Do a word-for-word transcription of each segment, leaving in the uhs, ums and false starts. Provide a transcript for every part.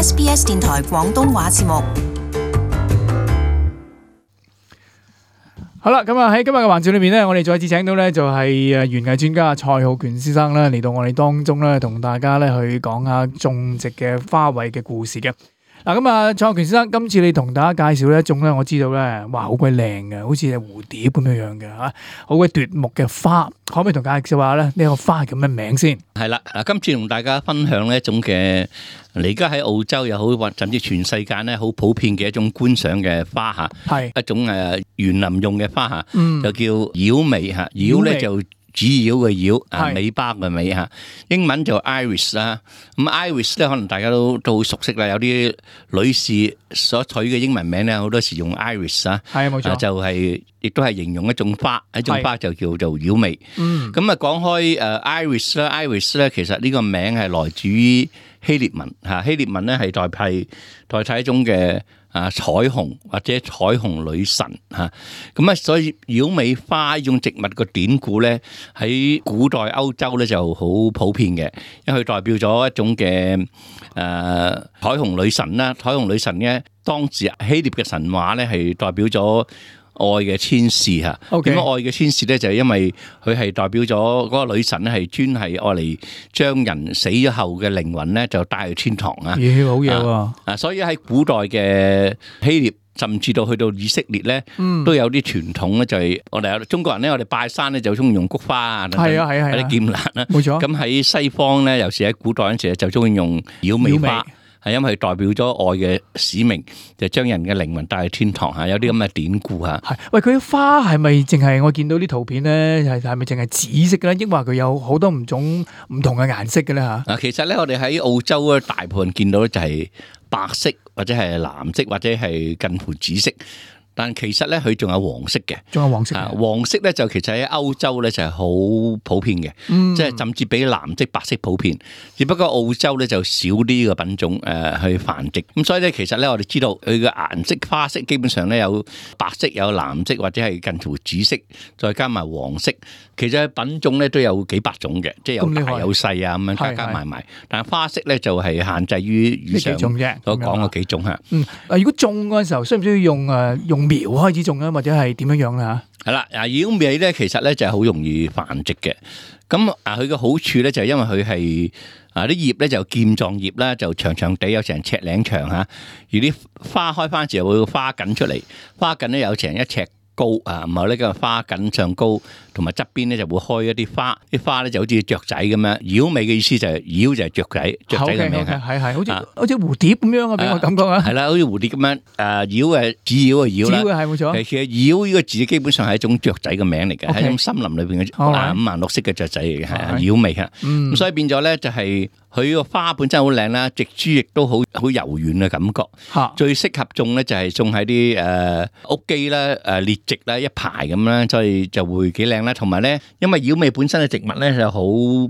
S B S 電台廣東話節目。好啦，咁啊喺今日嘅環節裏面咧，我哋再次請到咧就係誒園藝專家蔡浩權先生啦，嚟到我哋當中咧，同大家咧去講下種植嘅花卉嘅故事嘅。嗱，咁啊，蔡浩權先生，今次你同大家介紹呢一種咧，我知道咧，哇，好鬼靚嘅，好似係蝴蝶咁樣樣嘅嚇，好鬼奪目嘅花，可唔可以同大家介紹下咧呢個花叫咩名先？係啦，嗱，今次同大家分享呢一種嘅，你而家喺澳洲又好，或甚至全世界咧好普遍嘅一種觀賞嘅花嚇，係一種誒園林用嘅花嚇，嗯就叫妖薇嚇，妖咧就主妖嘅妖啊，尾巴嘅尾嚇，英文就 iris 啦。咁 iris 咧，可能大家都都好熟悉啦。有啲女士所取嘅英文名咧，好多時用 iris 啊，係冇錯，就係亦都係形容一種花，一種花就叫做妖薇。嗯，咁啊講開誒 iris 啦 ，iris 咧其實呢個名係來自於希臘文嚇，希臘文咧係代替代替一種嘅啊彩虹或者彩虹女神嚇，咁啊所以妖薇花呢種植物個典故咧喺古代歐洲咧就好普遍嘅，因為佢代表咗一種嘅誒、呃、彩虹女神啦，彩虹女神咧當時希臘嘅神話咧係代表咗愛嘅天使嚇，點解愛嘅天使咧？就係因為佢係代表咗嗰個女神咧，係專係愛嚟將人死咗後嘅靈魂咧，就帶去天堂啊！咦，好嘢喎！啊，所以喺古代嘅希臘，甚至到去到以色列咧，都有啲傳統咧，就係我哋有中國人咧，我哋拜山咧就中意用菊花啊，係啊係啊係啊，啲劍蘭啦，冇錯。咁喺西方咧，尤其喺古代嗰陣時咧，就中意用妖薇花。係因為代表咗愛嘅使命，就將人嘅靈魂帶去天堂嚇，有啲咁嘅典故嚇。係，喂，佢啲花係咪淨係我見到啲圖片咧？係係咪淨係紫色嘅咧？抑或佢有好多唔種唔同嘅顏色嘅咧嚇？嗱，其實咧，我哋喺澳洲咧，大部分見到咧就係白色或者係藍色或者係近乎紫色。但其實咧，佢仲有黃色嘅，仲有黃色。啊，黃色咧就其實喺歐洲咧就係好普遍嘅，嗯、即係甚至比藍色、白色普遍。只不過澳洲咧就少啲個品種誒、呃、去繁殖。咁所以咧，其實咧我哋知道佢嘅顏色花色基本上咧有白色、有藍色或者係近乎紫色，再加埋黃色。其實品種咧都有幾百種嘅，即係有大有細啊咁樣加加埋埋。但係花色咧就係限制於以上所講嘅幾種嚇。嗯，嗱，如果種嗰陣時候，需唔需要用誒用苗開始種啊，或者係點樣樣咧？係啦，啊妖薇咧其實咧就係好容易繁殖嘅。咁啊佢嘅好處咧就係因為佢係啊啲葉咧就劍狀葉啦，就長長地有成尺零長嚇。而啲花開翻時候會花緊出嚟，花緊咧有成一尺高啊，然後呢個花緊上高，同埋側邊咧就會開一啲花，啲花咧就好似雀仔咁樣。妖薇嘅意思就係妖就係雀仔，雀仔嘅名啊，係係好似好似蝴蝶咁樣啊，俾我感覺啊，係啦，好似蝴蝶咁樣。誒妖誒紫妖嘅妖啦，紫妖係冇錯。其實妖呢個字基本上係一種雀仔嘅名嚟嘅，係一種森林裏邊嘅五顏六色嘅雀仔嚟嘅，係妖薇啊。咁所以變咗咧就係佢個花本身好靚啦，植株亦都好好柔軟嘅感覺。最適合種咧就係種喺啲誒屋基啦、誒列植啦一排咁啦，所以就會幾靚啦。同埋咧，因為妖薇本身嘅植物咧就好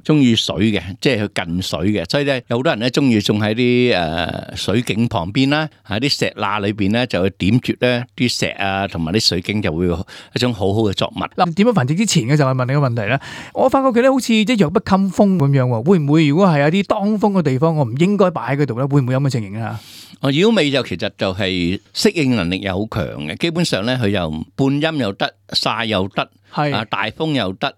中意水嘅，即係佢近水嘅，所以咧有好多人咧中意種喺啲誒水景旁邊啦，喺啲石罅裏邊咧就會點綴咧啲石啊，同埋啲水景就會一種好好嘅作物。嗱，點樣繁殖之前嘅就係問你個問題啦。我發覺佢咧好似即係弱不禁風咁樣喎，會唔會如果係有啲當風嘅地方，我唔應該擺喺嗰度咧？會唔會有咁嘅情形啊？哦，妖薇就其實就係適應能力又好強嘅，基本上咧佢又半陰又得，曬又得，係啊大風又得。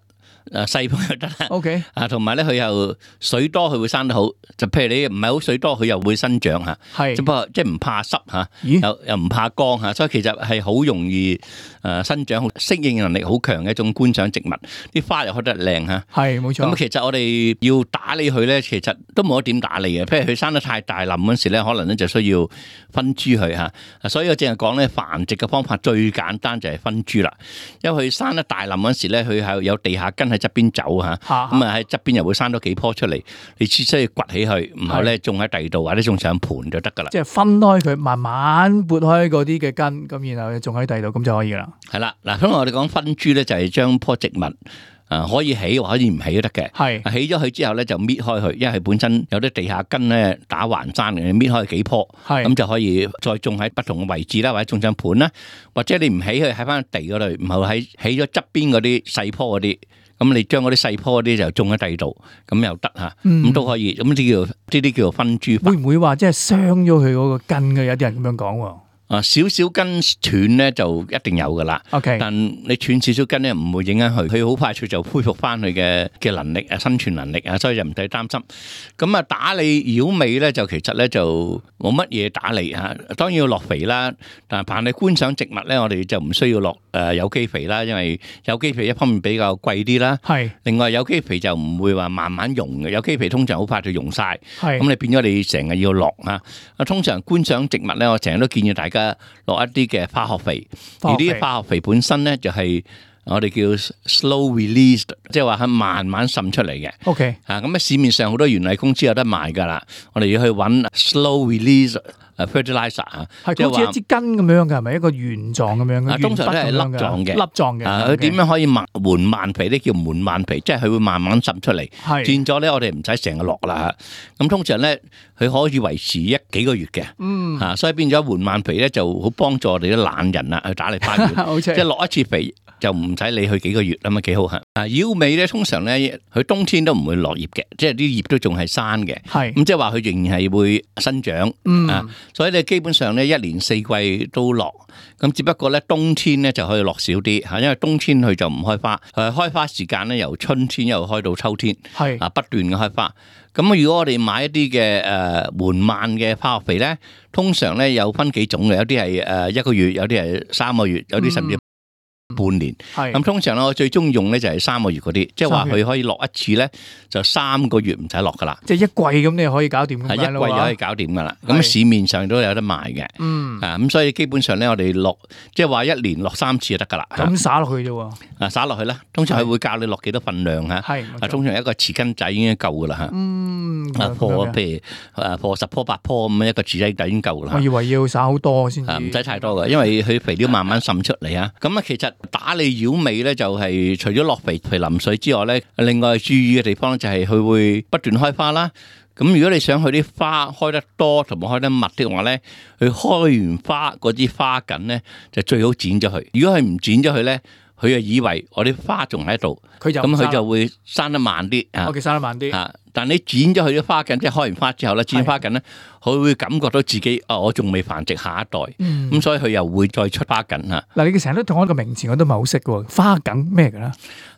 誒細風又得啦，OK，啊同埋咧佢又水多，佢會生得好。就譬如你唔係好水多，佢又會生長嚇，係，只不過即係唔怕濕嚇，又又唔怕光嚇，所以其實係好容易誒生長，適應能力好強嘅一種觀賞植物。啲花又開得靚嚇，係冇錯。咁其實我哋要打理佢咧，其實都冇得點打理嘅。譬如佢生得太大冧嗰時咧，可能咧就需要分株佢嚇。所以我淨係講咧繁殖嘅方法最簡單就係分株啦。因為佢生得大冧嗰時咧，佢係有地下根喺側邊走嚇，咁啊喺側邊又會生多幾棵出嚟，你只需要掘起佢，然後咧種喺第二度或者種上盤就得噶啦。即係分開佢，慢慢撥開嗰啲嘅根，咁然後種喺第二度，咁就可以啦。係啦，嗱，咁我哋講分株咧，就係將棵植物啊可以起或可以唔起都得嘅。係起咗佢之後咧，就搣開佢，因為佢本身有啲地下根咧打橫生嘅，搣開幾棵，咁就可以再種喺不同嘅位置啦，或者種上盤啦，或者你唔起佢喺翻地嗰度，唔係喺起咗側邊嗰啲細棵嗰啲。咁你將嗰啲細棵嗰啲就種喺第二度，咁又得嚇，咁都可以。咁呢啲叫呢啲叫做分株法。會唔會話即係傷咗佢嗰個根嘅？有啲人咁樣講喎。啊，少少根斷咧就一定有噶啦。OK，但你斷少少根咧唔會影響佢，佢好快脆就恢復翻佢嘅嘅能力啊，生存能力啊，所以就唔使擔心。咁啊，打理繞尾咧就其實咧就冇乜嘢打理嚇，當然要落肥啦。但係凡係觀賞植物咧，我哋就唔需要落誒有機肥啦，因為有機肥一方面比較貴啲啦。係。另外有機肥就唔會話慢慢溶嘅，有機肥通常好快就溶晒。係。咁你變咗你成日要落啊。啊，通常觀賞植物咧，我成日都建議大家落一啲嘅化學肥，而啲化學肥本身咧就係我哋叫 slow release， 即係話係慢慢滲出嚟嘅。OK， 啊咁啊市面上好多園藝公司有得賣噶啦，我哋要去揾 slow release fertilizer 啊，係好似一支根咁樣嘅，係咪一個圓狀咁樣嘅？通常都係粒狀嘅，粒狀嘅。啊，佢點樣可以慢緩慢肥咧？叫緩慢肥，即係佢會慢慢滲出嚟。係變咗咧，我哋唔使成日落啦。咁通常咧，佢可以維持一幾個月嘅。嗯，嚇，所以變咗緩慢肥咧，就好幫助我哋啲懶人啊去打理花園。即係落一次肥就唔使理佢幾個月咁啊，幾好嚇。啊，繞尾咧，通常咧，佢冬天都唔會落葉嘅，即係啲葉都仲係生嘅。係咁，即係話佢仍然係會生長。嗯啊，所以你基本上咧一年四季都落，咁只不過咧冬天咧就可以落少啲嚇，因為冬天佢就唔開花。誒，開花時間咧由春天又開到秋天。係啊，不斷嘅開花。咁如果我哋買一啲嘅誒緩慢嘅化學肥咧，通常咧有分幾種嘅，有啲係誒一個月，有啲係三個月，有啲甚至半年。係咁通常咧，我最中意用咧就係三個月嗰啲，即係話佢可以落一次咧，就三個月唔使落噶啦。即係一季咁，你可以搞掂。係一季就可以搞掂噶啦。咁市面上都有得賣嘅。嗯。啊，咁所以基本上咧，我哋落即係話一年落三次就得噶啦。咁灑落去啫喎。啊，灑落去啦。通常佢會教你落幾多份量嚇。係。啊，通常一個匙羹仔已經夠噶啦嚇。嗯。啊，破譬如啊破十棵八棵咁一個匙羹仔已經夠噶啦。我以為要灑好多先。啊，唔使太多嘅，因為佢肥料慢慢滲出嚟啊。咁啊，其實打理繞尾咧，就係除咗落肥、肥淋水之外咧，另外注意嘅地方就係佢會不斷開花啦。咁如果你想佢啲花開得多同埋開得密的話咧，佢開完花嗰啲花梗咧就最好剪咗佢。如果佢唔剪咗佢咧，佢就以為我啲花仲喺度，咁佢就會生得慢啲啊。我嘅生得慢啲啊！但你剪咗佢啲花梗，即係開完花之後咧，剪花梗咧，佢會感覺到自己啊，我仲未繁殖下一代，咁、嗯、所以佢又會再出花梗嚇。嗱，你成日都同我一個名詞，我都唔係好識喎。花梗咩嘅咧？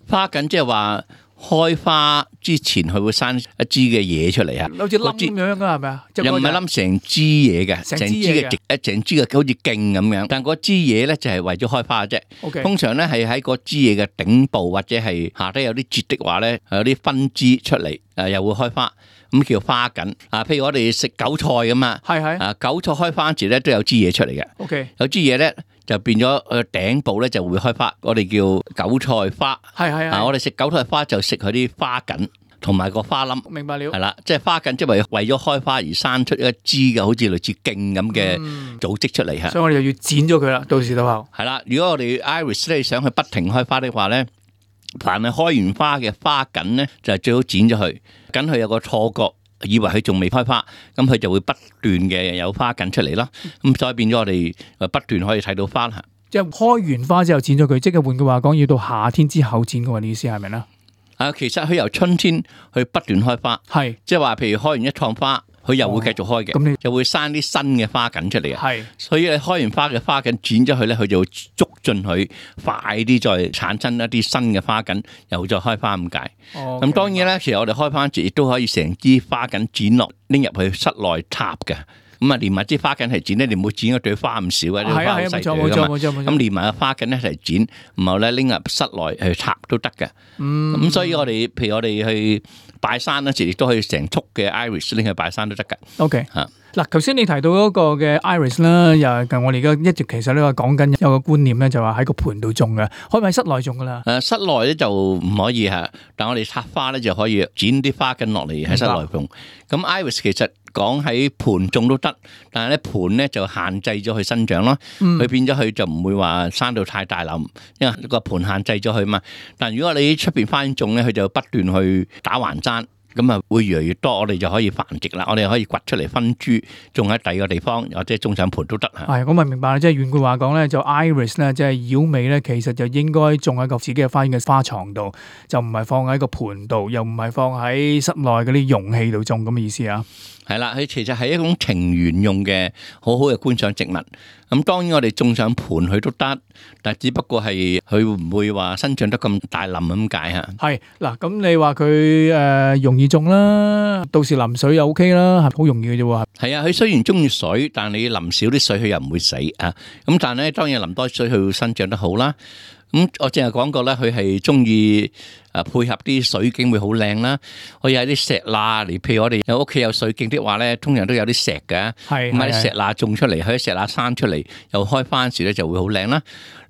花梗即係話開花之前，佢會生一支嘅嘢出嚟啊，好似冧咁樣噶係咪啊？又唔係冧成支嘢嘅，成支嘅直一成支嘅好似莖咁樣。但嗰支嘢咧就係為咗開花啫。Okay. 通常咧係喺嗰支嘢嘅頂部或者係下低有啲節的話咧，有啲分支出嚟，誒又會開花，咁叫花梗啊。譬如我哋食韭菜咁啊，係係啊，韭菜開花時咧都有支嘢出嚟嘅。Okay. 有支嘢咧。就變咗誒頂部咧就會開花，我哋叫韭菜花。係係啊，我哋食韭菜花就食佢啲花梗同埋個花冧。明白了。係啦，即係花梗即係為為咗開花而生出一支嘅，好似類似莖咁嘅組織出嚟嚇。所以我哋又要剪咗佢啦，到時到後。係啦，如果我哋 iris 咧想去不停開花的話咧，凡係開完花嘅花梗咧，就係最好剪咗佢，梗佢有個錯覺。以為佢仲未開花，咁佢就會不斷嘅有花緊出嚟咯。咁所以變咗我哋不斷可以睇到花。即係開完花之後剪咗佢，即係換句話講，要到夏天之後剪嘅話，你意思係咪咧？啊，其實佢由春天去不斷開花，係即係話，譬如開完一趟花。佢又會繼續開嘅，咁、哦、你就會生啲新嘅花梗出嚟嘅。係，所以你開完花嘅花梗剪咗佢咧，佢就會促進佢快啲再產生一啲新嘅花梗，又再開花咁解。哦，咁當然咧，其實我哋開花節亦都可以成支花梗剪落拎入去室內插嘅。咁啊，連埋支花梗係剪咧，你唔好剪嗰朵花咁少啊，啲花好細朵噶嘛。咁連埋個花梗一齊剪，然後咧拎入室內去插都得嘅。嗯，咁所以我哋譬如我哋去拜山嗰時，亦都可以成束嘅 iris 拎去拜山都得噶。OK 嚇。嗱，頭先你提到嗰個嘅 iris 啦，又係我哋而家一直其實呢個講緊有個觀念咧，就話喺個盤度種嘅，可唔可以喺室內種噶啦？誒，室內咧就唔可以嚇，但我哋插花咧就可以剪啲花根落嚟喺室內種。咁 iris 其實講喺盤種都得，但係咧盤咧就限制咗佢生長咯，佢變咗佢就唔會話生到太大冧，因為個盤限制咗佢嘛。但如果你喺出邊花園種咧，佢就不斷去打橫生。咁啊會越嚟越多，我哋就可以繁殖啦。我哋可以掘出嚟分株，種喺第二個地方，或者種上盆都得嚇。係，我咪明白啦。即係換句話講咧，就 iris 咧，即係妖美咧，其實就應該種喺個自己嘅花園嘅花床度，就唔係放喺個盆度，又唔係放喺室內嗰啲容器度種咁嘅意思啊。係啦，佢其實係一種庭園用嘅好好嘅觀賞植物。咁當然我哋種上盆佢都得，但係只不過係佢會唔會話生長得咁大冧咁解嚇。係嗱，咁你話佢誒容易種啦，到時淋水又 OK 啦，係好容易嘅啫喎。係啊，佢雖然中意水，但係你淋少啲水佢又唔會死啊。咁但係咧，當然淋多水佢會生長得好啦。咁我淨係講過咧，佢係中意誒配合啲水景會好靚啦。可以喺啲石罅嚟，譬如我哋有屋企有水景的話咧，通常都有啲石嘅，咁喺啲石罅種出嚟，喺石罅生出嚟，又開番時咧就會好靚啦。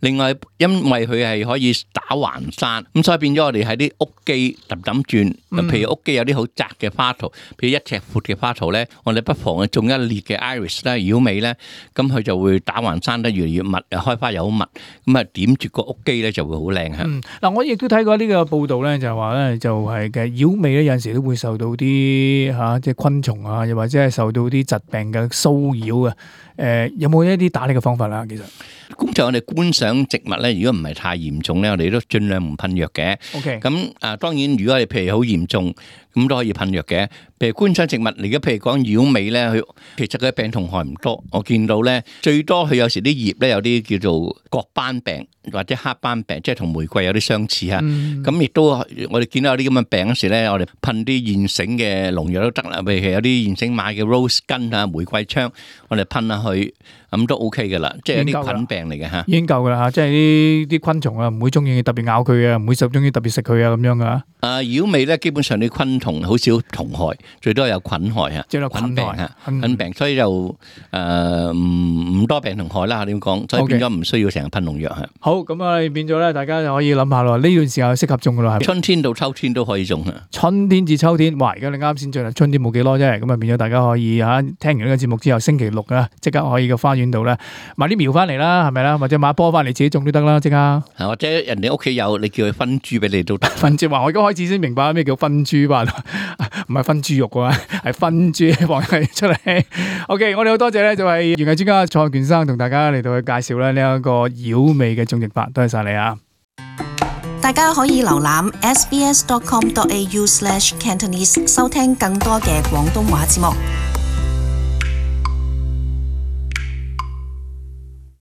另外，因為佢係可以打橫生，咁所以變咗我哋喺啲屋基揼揼轉，譬如屋基有啲好窄嘅花圖，譬如一尺闊嘅花圖咧，我哋不妨去種一列嘅 iris 咧，妖美咧，咁佢就會打橫生得越嚟越密，又開花又好密，咁啊點住個屋基咧就會好靚嚇。嗯，嗱，我亦都睇過呢個報道咧，就係話咧，就係嘅妖美咧，有陣時都會受到啲嚇即係昆蟲啊，又或者係受到啲疾病嘅騷擾啊。誒，有冇一啲打理嘅方法啦？其實，咁就我哋觀賞植物咧，如果唔係太嚴重咧，我哋都盡量唔噴藥嘅。OK，咁啊，當然如果係譬如好嚴重，咁都可以噴藥嘅。譬如觀賞植物，而家譬如講妖美咧，佢其實佢病同害唔多。我見到咧，最多佢有時啲葉咧有啲叫做角斑病或者黑斑病，即係同玫瑰有啲相似嚇。咁亦都我哋見到有啲咁嘅病嗰時咧，我哋噴啲現成嘅農藥都得啦。譬如有啲現成買嘅 rose 根啊、玫瑰槍，我哋噴下去，咁都 OK 嘅啦。即係啲菌病嚟嘅嚇，已經夠噶啦嚇。即係啲啲昆蟲啊，唔會中意特別咬佢嘅，唔會就中意特別食佢啊咁樣噶。啊，妖美咧，基本上啲昆蟲好少蟲害，最多有菌害嚇，即係菌病嚇，菌病，所以就誒唔唔多病同害啦嚇。點講？所以變咗唔需要成日噴農藥嚇。好，咁啊變咗咧，大家就可以諗下咯。呢段時候適合種噶啦，春天到秋天都可以種啊。春天至秋天，哇！而家你啱先進入春天冇幾耐啫，咁啊變咗大家可以嚇聽完呢個節目之後，星期六啊即刻可以個花園度咧買啲苗翻嚟啦，係咪啦？或者買波翻嚟自己種都得啦，即刻。或者人哋屋企有，你叫佢分株俾你都得。分株話，我而家開始先明白咩叫分株吧，唔係分豬肉嘅嘛，係分株放出嚟。OK，我哋好多謝咧，就係園藝專家蔡浩權生同大家嚟到去介紹咧呢一個妖美嘅種植法，多謝晒你啊！大家可以瀏覽 s b s dot com dot a u slash cantonese 收聽更多嘅廣東話節目。